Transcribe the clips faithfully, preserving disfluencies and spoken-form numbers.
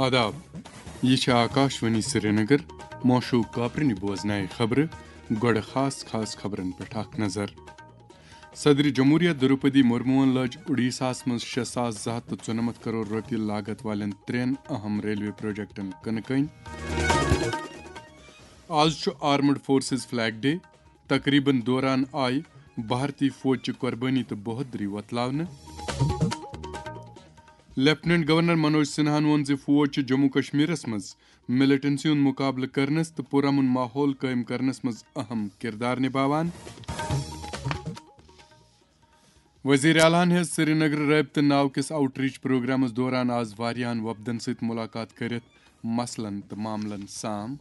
آداب، یہِ چھِ آکاشوانی سرینگر۔ موشوق کاپرنہِ بوزنایہِ خبرٕ۔ گۄڈٕ خاص خاص خبرن پٮ۪ٹھ اکھ نظر۔ صدر جمہوریہ دروپدی مرموہن لٲج اُڈیساہس منٛز شےٚ ساس زٕ ہتھ تہٕ ژُنمتھ کرور رۄپیہِ لاگت والٮ۪ن ترٛٮ۪ن اہم ریلوے پروجیکٹن کٕنہٕ کٔنۍ۔ آز چھُ آرمڈ فورسز فلیگ ڈے۔ تقریبن دوران آیہِ بھارتی فوج چہِ قربٲنی تہٕ بہادری وۄتلاونہٕ۔ لیفٹیننٹ گورنر منوج سنہاہن ووٚن زِ فوج چھِ جموں کشمیرس منٛز ملیٹنسی ہُنٛد مقابلہٕ کرنس تہٕ پرامن ماحول قٲیِم کرنس منٛز اہم کردار نباوان۔ وزیر اعلیٰ ہن ہیٚژ سرینگر رٲبطہٕ ناو کِس آؤٹ ریچ پروگرامس دوران آز واریاہن وفدن سۭتۍ ملاقات کٔرِتھ مسلن تہٕ معاملن سام۔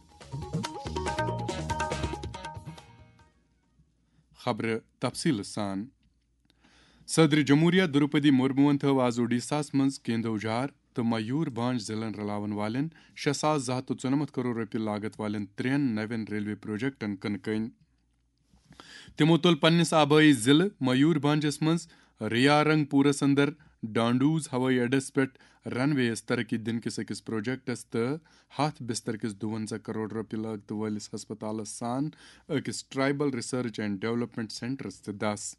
خبرٕ تفصیٖلہٕ سان۔ صدر جمہوریہ دروپدی مرموہن تھٲو آز اوڈیشاہس منٛز کیندوجھار تہٕ میور بھانج ضلعن رلاون والٮ۪ن شےٚ ساس زٕ ہتھ تہٕ ژُنمتھ کرور رۄپیہِ لاگت والٮ۪ن ترٛٮ۪ن نوٮ۪ن ریلوے پروجیکٹن کٕنہٕ کٔنۍ۔ تِمو تُل پننِس آبٲیی ضلعہٕ میور بھانجس منٛز ریا رنگ پورس اندر ڈانڈوز ہوٲیی اڈس پٮ۪ٹھ رن وے یَس ترقی دِنہٕ کِس أکِس پروجیکٹس تہٕ ہتھ بستر کِس دُوَنزاہ کرور رۄپیہِ لاگتہٕ وٲلِس ہسپتالس سان أکِس ٹرائبل ریسرچ اینڈ ڈیولپمنٹ سینٹرس تہِ دس۔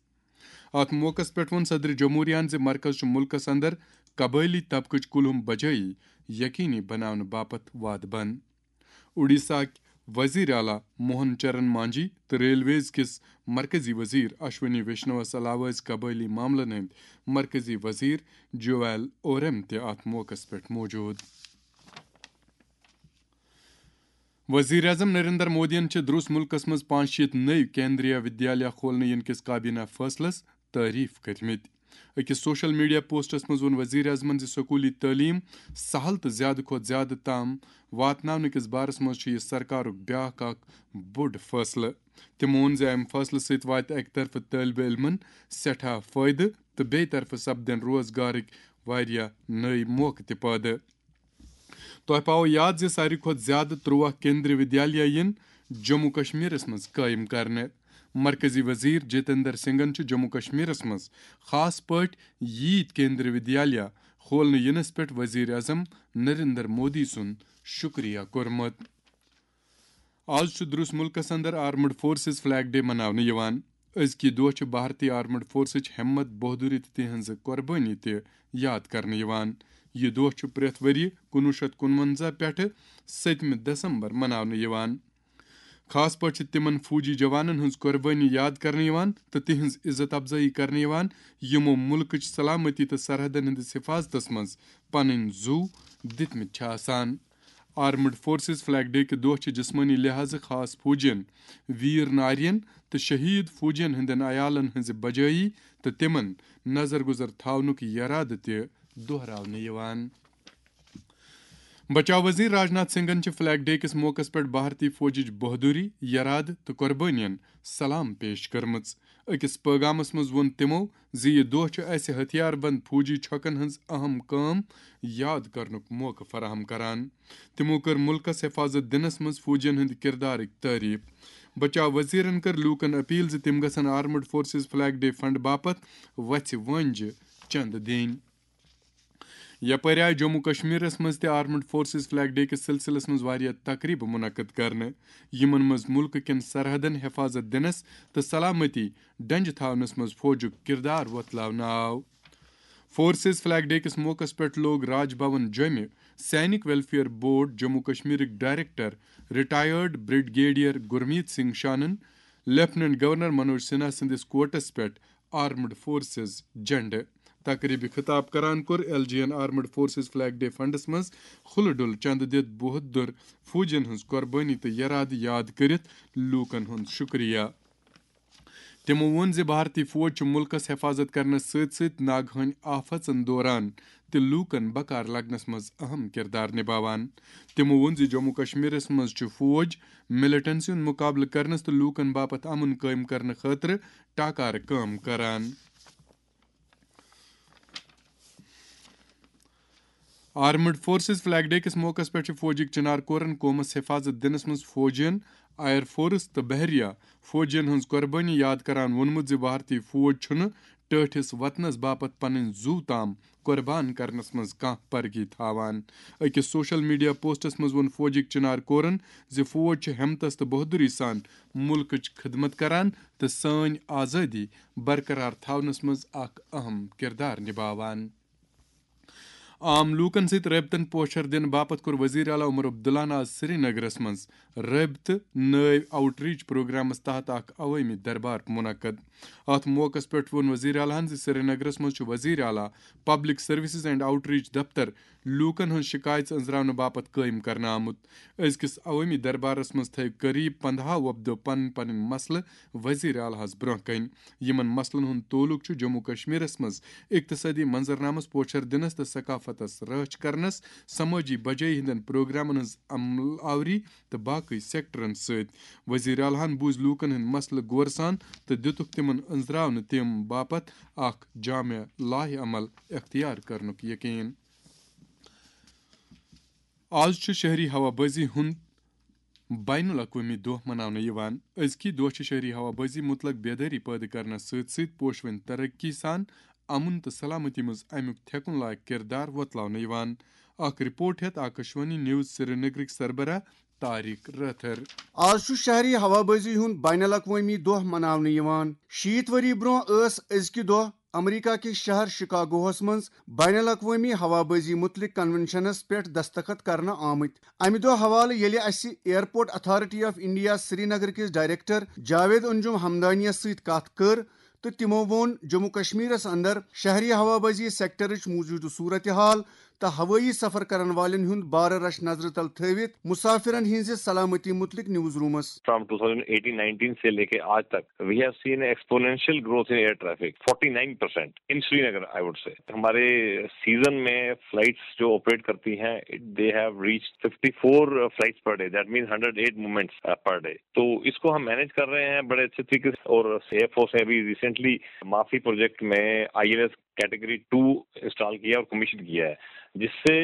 اتھ موقعس پٮ۪ٹھ ووٚن صدر جمہوریہن زِ مرکز چھُ مُلکس اندر قبٲئلی طبقٕچ کُلہُم بجٲیی یقینی بناونہٕ باپتھ وعدٕ بنٛد۔ اوڈیشاہٕکۍ وزیر اعلیٰ موہن چرن مانجھی تہٕ ریلویز کِس مرکزی وزیر اشونی ویشنوَس علاوٕ ٲسۍ قبٲئلی معاملن ہٕنٛدۍ مرکزی وزیر جویل اورم تہِ اتھ موقعس پٮ۪ٹھ موجود۔ وزیر اعظم نریندر مودیَن چھِ دروس مُلکَس منٛز پانٛژھ شیٖتھ نٔوۍ کیندریہ ودیالیہ کھولنہٕ یِنہٕ کِس کابینہ فٲصلَس تعریف کٔرمٕتۍ۔ أکِس سوشل میڈیا پوسٹَس منٛز ووٚن وزیر اعظمَن زِ سکوٗلی تعلیٖم سہل تہٕ زیادٕ کھۄتہٕ زیادٕ تام واتناونہٕ کِس بارَس منٛز چھُ یہِ سرکارُک بیٛاکھ اکھ بوٚڑ فٲصلہٕ۔ تِمَو ووٚن زِ اَمہِ فٲصلہٕ سۭتۍ واتہِ اَکہِ طرفہٕ طٲلبہِ علمَن سٮ۪ٹھاہ فٲیدٕ تہٕ بیٚیہِ طرفہٕ سپدن روزگارٕکۍ واریاہ نٔوۍ موقعہٕ تہِ پٲدٕ۔ تۄہہِ پاوو یاد زِ ساروی کھۄتہٕ زیادٕ ترٛواہ کیندری ودیالیہ یِن جموں کشمیرس منٛز قٲیِم کرنہٕ۔ مرکزی وزیر جتیندر سنگھن چھُ جموں کشمیرس منٛز خاص پٲٹھۍ ییٖتۍ کیندری ودیالیہ کھولنہٕ یِنس پٮ۪ٹھ وزیر اعظم نریندر مودی سُنٛد شُکریہ کوٚرمُت۔ آز چھُ درٛوس مُلکس اندر آرمڈ فورسز فلیگ ڈے مناونہٕ یِوان۔ أزکہِ دۄہ چھِ بھارتی آرمڈ فورسٕچ ہمت، بہادری تہٕ تِہنٛزٕ قۄربٲنی تہِ یاد کرنہٕ یِوان۔ یہِ دۄہ چھُ پرٛٮ۪تھ ؤرۍ یہِ کُنوُہ شیٚتھ کُنوَنزاہ پٮ۪ٹھٕ سٔتمہِ دسمبر مناونہٕ یِوان۔ خاص پٲٹھۍ چھِ تِمن فوجی جوانن ہٕنٛز قۄربٲنی یاد کرنہٕ یِوان تہٕ تِہنٛز عزت افزٲیی کرنہٕ یِوان، یِمو مُلکٕچ سلامتی تہٕ سرحدن ہٕنٛدِس حفاظتس منٛز پنٕنۍ زُو دِتمٕتۍ چھِ آسان۔ آرمڈ فورسز فلیگ ڈے کہِ دۄہ چھِ جسمٲنی لحاظٕ خاص فوجین، ویر نارین تہٕ شہید فوجین ہٕنٛدٮ۪ن عیالن ہٕنٛزِ بجٲیی تہٕ تِمن نظر گُزر تھاونُک یرادٕ تہِ دۄہراونہٕ یِوان۔ بچاو وزیر راجناتھ سنگھن چھِ فلیگ ڈے کِس موقعس پٮ۪ٹھ بھارتی فوجٕچ بہادری، یرادٕ تہٕ قۄربٲنین سلام پیش کٔرمٕژ۔ أکِس پٲغامس منٛز ووٚن تِمو زِ یہِ دۄہ چھُ اسہِ ہتھیار بند فوجی چھۄکن ہٕنٛز اہم کٲم یاد کرنُک موقعہٕ فراہم کران۔ تِمو کٔر مُلکس حفاظت دِنس منٛز فوجین ہٕنٛدِ کردارٕکۍ تعریف۔ بچاو وزیرن کٔر لوٗکن اپیل زِ تِم گژھن armed forces flag day fund باپتھ وژھِ وٲنجہِ چندٕ دِنۍ۔ یپٲرۍ آیہِ جموں کشمیرس منٛز تہِ آرمڈ فورسز فلیگ ڈے کِس سلسلس منٛز واریاہ تقریبہٕ منعقد کرنہٕ، یِمن منٛز مُلکہٕ کٮ۪ن سرحدن حفاظت دِنس تہٕ سلامتی ڈنجہِ تھاونس منٛز فوجُک کردار وۄتلاونہٕ آو۔ فورسز فلیگ ڈے کِس موقعس پٮ۪ٹھ لوگ راج بھون جوٚمہِ سینک ویلفیئر بورڈ جموں کشمیرٕکۍ director retired brigadier Gurmeet Singh شانن لیفٹیننٹ گورنر منوج سنہا سٕنٛدِس کوٹس پٮ۪ٹھ آرمڈ فورسز جھنڈٕ۔ تقریبہِ خطاب کران کوٚر ایل جی این آرمڈ فورسز فلیگ ڈے فنڈس منٛز کھُلہٕ ڈُل چندٕ دِتھ بہادر فوجین ہٕنٛز قۄربٲنی تہٕ یرادٕ یاد کٔرِتھ لوٗکن ہُنٛد شُکریہ۔ تِمو ووٚن زِ بھارتی فوج چھُ مُلکَس حفاظت کرنَس سۭتۍ سۭتۍ ناگہٲنی آفژن دوران تہِ لوٗکَن بکار لگنَس منٛز اہم کردار نباوان۔ تِمو ووٚن زِ جموں کشمیرَس منٛز چھُ فوج ملیٹنسی ہُنٛد مُقابلہٕ کرنَس تہٕ لوٗکَن باپتھ امن قٲیِم کرنہٕ خٲطرٕ ٹاکارٕ کٲم کران۔ آرمڈ فورسز فلیگ ڈے کِس موقعس پٮ۪ٹھ چھِ فوجٕکۍ چنار کورن قومس حفاظت دِنس منٛز فوجین، ایئر فورس تہٕ بحریہ فوجین ہٕنٛز قۄربٲنی یاد کران ووٚنمُت زِ بھارتی فوج چھُنہٕ ٹٲٹھِس وطنس باپتھ پنٕنۍ زُو تام قربان کرنس منٛز کانٛہہ پرگی تھاوان۔ أکِس سوشل میڈیا پوسٹس منٛز ووٚن فوجٕکۍ چنار کورن زِ فوج چھُ ہمتس تہٕ بہادری سان مُلکٕچ خدمت کران تہٕ سٲنۍ آزٲدی برقرار تھاونس منٛز اکھ اہم کردار نباوان۔ عام لوٗکن سۭتۍ رٲبطن پوچھر دِنہٕ باپتھ کوٚر وزیر اعلیٰ عمر عبداللہن آز سرینگرس منٛز رٲبطہٕ نٲوۍ آؤٹ ریچ پروگرامس تحت اکھ عوٲمی دربار منعقد۔ اتھ موقعس پٮ۪ٹھ ووٚن وزیر اعلیٰ ہن زِ سرینگرس منٛز چھُ وزیر اعلیٰ public services and out reach دفتر لوٗکن ہٕنٛز شکایژٕ أنٛزراونہٕ باپتھ قٲیِم کرنہٕ آمُت۔ أزکِس عوٲمی دربارس منٛز تھٲوۍ قریب پندہو وۄپدو پنٕنۍ پنٕنۍ مسلہٕ وزیر اعلیٰ ہس برٛونٛہہ کنہِ۔ یِمن مسلن ہُنٛد تعلق چھُ جموں کشمیرس منٛز اقتصٲدی منظرنامس پوچھر دِنس تہٕ ثقافتس رٲچھ کرنس، سمٲجی بجٲیی ہٕنٛدٮ۪ن پروگرامن ہٕنٛز عمل آوری تہٕ باقٕے سیکٹرن سۭتۍ۔ وزیر اعلیٰ ہن بوٗزۍ لوٗکن ہٕنٛدۍ مسلہٕ غورٕ سان تہٕ دِتُکھ تِمن أنٛزراونہٕ تِم باپتھ اکھ جامع لایحہ عمل اختیار کرنُک یقین۔ آز چھُ شہری ہوا بٲزی ہُنٛد بین الاقوٲمی دۄہ مناونہٕ یِوان۔ أزکی دۄہ چھِ شہری ہوا بٲزی مُتلق بیدٲری پٲدٕ کرنس سۭتۍ سۭتۍ پوشوٕنۍ ترقی سان امن تہٕ سلامتی منٛز امیُک تھٮ۪کُن لایق کردار وۄتلاونہٕ یِوان۔ اکھ رپورٹ ہٮ۪تھ آکاشوانی نیوز سرینگرٕکۍ سربراہ طارق رٲتھر۔ آز چھُ شہری ہوا بٲزی ہُنٛد بین الاقوٲمی دۄہ مناونہٕ یِوان۔ شیٖتھ ؤری برٛونٛہہ ٲس أزکہِ دۄہ امریکہ کِس شہر شکاگوہس منٛز بین الاقوٲمی ہوا بٲزی مُتلق کنونشنس پٮ۪ٹھ دستخط کرنہٕ آمٕتۍ۔ امہِ دۄہ حوالہٕ ییٚلہِ اسہِ airport authority of India Srinagar کِس ڈائریکٹر جاوید انجم ہمدانیَس سۭتۍ کتھ کٔر تہٕ تِمو ووٚن جموں کشمیرس اندر شہری ہوا بٲزی سیکٹرٕچ موجودٕ صورتحال تہٕ ہوٲیی سفر کرن والٮ۪ن ہُنٛد بارٕ رش نظرِ تل تھٲوِتھ مسافرن ہٕنٛزِ سلامتی مُتلق news rooms. From two thousand eighteen nineteen سے لے کے آج تک we have seen exponential growth in air traffic, forty nine percent in Srinagar, I would say. ہمارے سیزن میں فلائٹس جو آپریٹ کرتی ہیں, they have reached fifty four flights per day, that means hundred eight movements per day. To S co Hum manage کر رہے ہیں بڑے اچھے طریقے سے. اور ایئر فورس نے ابھی ریسنٹلی مافی پروجیکٹ میں I L S category two install کیا اور کمیشن کیا ہے, جس سے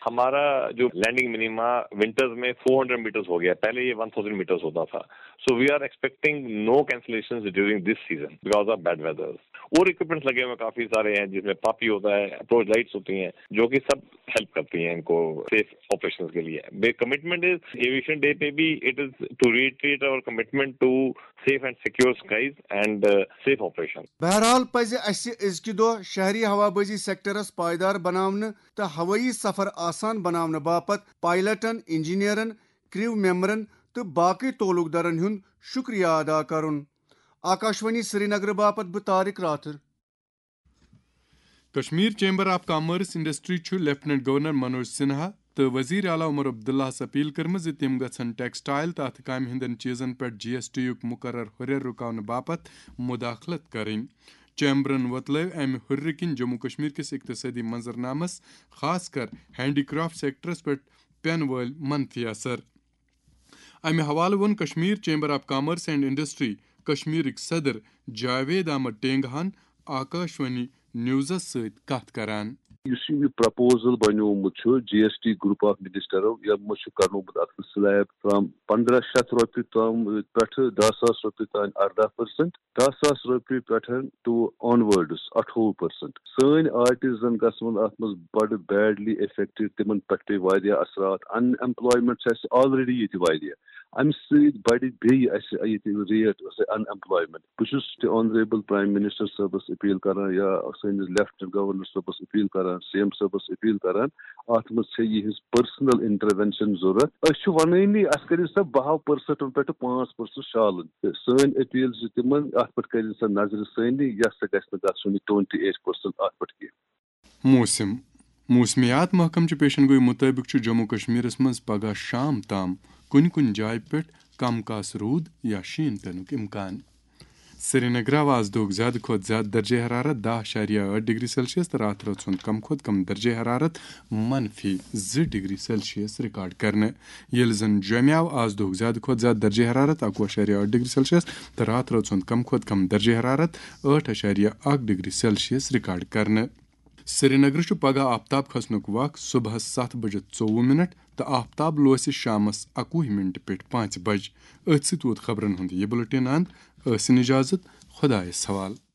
ہمارا جو لینڈنگ منیما ونٹرز میں فور ہنڈریڈ میٹرز ہو گیا. پہلے یہ ون تھاؤزینڈ میٹرز ہوتا تھا. So we are expecting no cancellations during this season because of bad weather. اور اکوپمنٹس لگے ہوئے کافی سارے ہیں, جس میں پاپی ہوتا ہے, اپروچ لائٹس ہوتی ہیں, جو کہ سب ہیلپ کرتی ہیں ان کو سیف آپریشن کے لیے. کمٹمنٹ از ایویشن ڈے پہ بھی, it is to reiterate our commitment to safe and secure skies and safe operation. بہرحال پزِ اسہِ أزکہِ دۄہ شہری ہوا بٲزی سیکٹرس پائیدار بناونہٕ تہٕ ہوٲیی سفر آسان بناونہٕ باپتھ پائلٹن، انجینئرن، کریو ممبرن تہٕ باقی تعلق دارن ہُنٛد شکریہ ادا کرُن۔ آکاشوانی سرینگر باپتھ بہٕ Tariq Rather. Kashmir chamber of commerce industry چھُ لیفٹیننٹ گورنر منوج سنہا تہٕ وزیر اعلیٰ عمر عبداللہس اپیل کٔرمٕژ زِ تِم گژھن ٹیکسٹائل تہٕ اتھٕ کامہِ ہٕنٛدٮ۪ن چیزن پٮ۪ٹھ جی ایس ٹی یُک مقرر ہُرٮ۪ر رُکاونہٕ باپتھ مداخلت کرٕنۍ۔ چیمبرن وۄتلٲو امہِ ہُرٮ۪ر کِنۍ جموں کشمیر کِس اقتصٲدی منظرنامس، خاص کر ہینڈی کرافٹ سیکٹرس پٮ۪ٹھ پٮ۪ن وٲلۍ منفی اثر۔ امہِ حوالہٕ ووٚن Kashmir chamber of commerce and industry کشمیرٕکۍ صدر جاوید احمد ٹینگہن آکاشوانی نیوزس سۭتۍ کتھ کران۔ یُس یہِ پرپوزل بنیومُت چھُ جی ایس ٹی گروپ آف منسٹرو، یِمو چھُ کرنومُت اتھ سلیب فرام پندرہ شیٚتھ رۄپیہِ تام پٮ۪ٹھٕ دہ ساس رۄپیہِ تام اردہ پٔرسنٹ، دہ ساس رۄپیہِ پٮ۪ٹھ ٹو آن ورڈس اٹھووُہ پٔرسنٹ۔ سٲنۍ آرٹسن گژھن اتھ منٛز بڑٕ بیڈلی افیکٹڈ، تِمن پٮ۪ٹھ پیٚیہِ واریاہ اثرات۔ ان ایمپلایمنٹ چھِ اسہِ آلریڈی ییٚتہِ واریاہ، امہِ سۭتۍ بڑِ بیٚیہِ اسہِ ییٚتہِ ریٹ ان ایمپلایمنٹ۔ بہٕ چھُس تہِ آنریبل پرایم منسٹر صٲبس اپیل کران یا سٲنِس لیفٹیننٹ گورنر صٲبس اپیل کران، سی ایم صٲبس اپیل کران، اتھ منٛز چھےٚ یِہنٛز پٔرسنل انٹروینشن ضروٗرت۔ أسۍ چھِ ونٲنی اسہِ کٔرِو سا بہو پٔرسنٹن پٮ۪ٹھ پانٛژھ پٔرسنٹ شالن۔ تہٕ سٲنۍ اپیل چھِ تِمن، اتھ پٮ۪ٹھ کٔرِو سا نظرِ ثٲنی، یس سا گژھِ نہٕ گژھُن یہِ ٹُوینٹی ایٹ پٔرسنٹ اتھ پٮ۪ٹھ کینٛہہ۔ موسم۔ موسمیات محکمہٕ چہِ پیشن گویی مُطٲبِق چھُ جموں کشمیرس منٛز پگہہ شام تام کُنہِ کُنہِ جایہِ پٮ۪ٹھ کم کاس روٗد یا شیٖن پینُک امکان۔ سرینگرٕ آو آز دۄہُک زیادٕ کھۄتہٕ زیادٕ درجہ حرارت دَہ اَشاریہ ٲٹھ ڈگری سیلسیس تہٕ راتھ رٲژ ہُنٛد کم کھۄتہٕ کم درجہ حرارت منفی زٕ ڈگری سیلسیس ریکارڈ کرنہٕ، ییٚلہِ زن جوٚمہِ آو آز دۄہُک زیادٕ کھۄتہٕ زیادٕ درجہ حرارت اَکوُہ اَشاریہ ٲٹھ ڈگری سیلسیس تہٕ راتھ رٲژ ہُنٛد کم کھۄتہٕ کم درجہ حرارت ٲٹھ اَشاریہ اَکھ ڈگری سیلسیس ریکارڈ کرنہٕ۔ سرینگرٕ چھُ پگہہ آفتاب کھسنُک وق صبحس ستھ بجہِ ژوٚوُہ منٹ تہٕ آفتاب لوسہِ شامس اَکوُہ منٹ پٮ۪ٹھ پانٛژِ بجہِ۔ أتھۍ سۭتۍ ووت خبرن ہُنٛد یہِ بُلٹن اند۔ ٲسِن اجازت، خۄدایس حوالہٕ۔